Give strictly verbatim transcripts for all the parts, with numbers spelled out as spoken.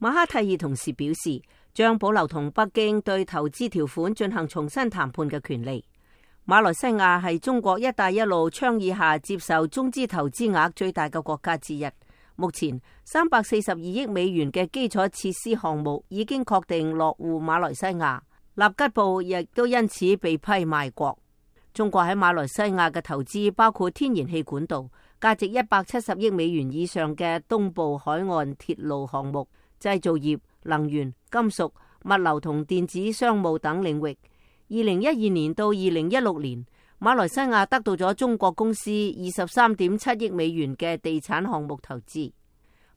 馬哈蒂爾同時表示，將保留同北京對投資條款進行重新談判嘅權利。馬來西亞係中國一帶一路倡議下接受中資投資額最大嘅國家之一。目前三百四十二億美元嘅基礎設施項目已經確定落戶馬來西亞，納吉布亦都因此被批賣國。中國喺馬來西亞嘅投資包括天然氣管道、價值一百七十億美元以上嘅東部海岸鐵路項目、製造業、能源、金屬、物流同電子商務等領域。二零一二年到二零一六年，馬來西亞得到咗中國公司二十三點七億美元嘅地產項目投資。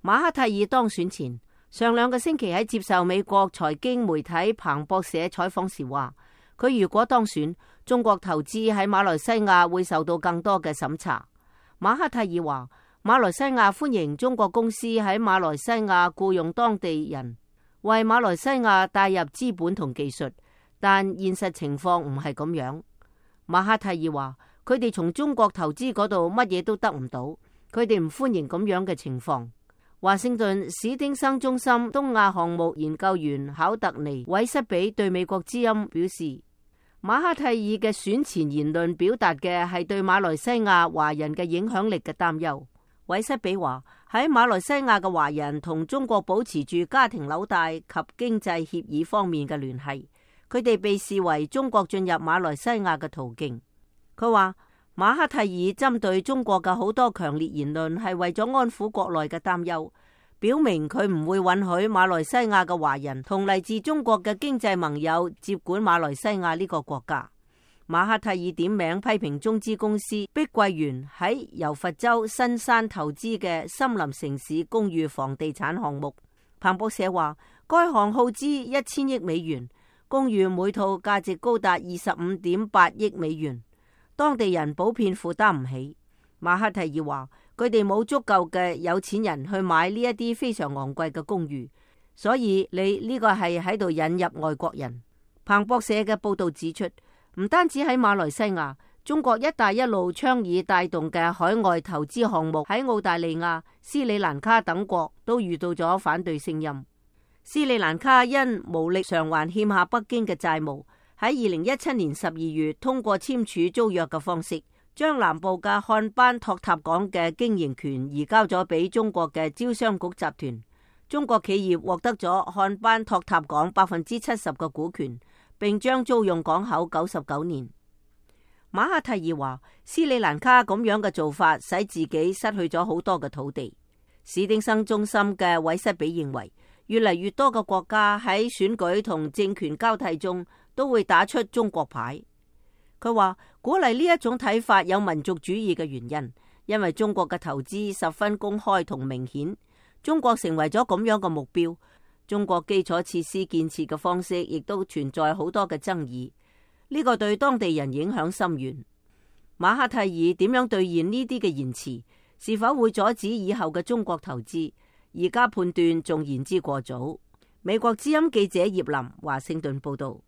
馬哈蒂爾當選前，上兩個星期喺接受美國財經媒體彭博社採訪時話，佢如果當選，中國投資喺馬來西亞會受到更多嘅審查。馬哈蒂爾話，馬來西亞歡迎中國公司喺馬來西亞僱用當地人，為馬來西亞帶入資本同技術，但現實情況唔係咁樣。馬哈蒂爾話，佢哋從中國投資嗰度乜嘢都得唔到，佢哋唔歡迎咁樣嘅情況。華盛頓史丁生中心東亞項目研究員考特尼韋瑟比對美國之音表示，馬哈蒂爾嘅選前言論表達嘅係對馬來西亞華人嘅影響力嘅擔憂。韋瑟比話，喺馬來西亞嘅華人同中國保持住家庭紐帶及經濟協議方面嘅聯繫，佢哋被視為中國進入馬來西亞嘅途徑。佢話，馬哈蒂爾針對中國嘅好多強烈言論係為咗安撫國內嘅擔憂，表明佢唔會允許馬來西亞嘅華人同嚟自中國嘅經濟盟友接管馬來西亞呢個國家。馬哈蒂爾點名批評中資公司碧桂園喺柔佛州新山投資嘅森林城市公寓房地產項目。彭博社話，該項耗資一千億美元，公寓每套價值高達二十五點八億美元。當地人普遍負擔唔起。馬哈蒂爾話，佢哋冇足夠嘅有錢人去買呢一啲非常昂貴嘅公寓，所以你呢個係喺度引入外國人。彭博社嘅報道指出，唔單止喺馬來西亞，中國一帶一路倡議帶動嘅海外投資項目喺澳大利亞、斯里蘭卡等國都遇到咗反對聲音。斯里蘭卡因無力償還欠下北京嘅債務，喺二零一七年十二月通過簽署租約嘅方式，將南部嘅漢班托塔港嘅經營權移交咗俾中國嘅招商局集團。中國企業獲得咗漢班托塔港百分之七十嘅股權，並將租用港口九十九年。馬哈蒂爾話，斯里蘭卡咁樣嘅做法使自己失去咗好多嘅土地。史丁生中心嘅韋瑟比認為，越嚟越多嘅國家喺選舉同政權交替中都會打出中國牌。佢話，鼓勵呢一種睇法有民族主義嘅原因，因為中國嘅投資十分公開同明顯，中國成為咗咁樣嘅目標。中國基礎設施建設嘅方式亦都存在好多嘅爭議，呢個對當地人影響深遠。馬哈蒂爾點樣兌現呢啲嘅言辭，是否會阻止以後嘅中國投資，而家判斷仲言之過早。美國之音記者葉林華盛頓報道。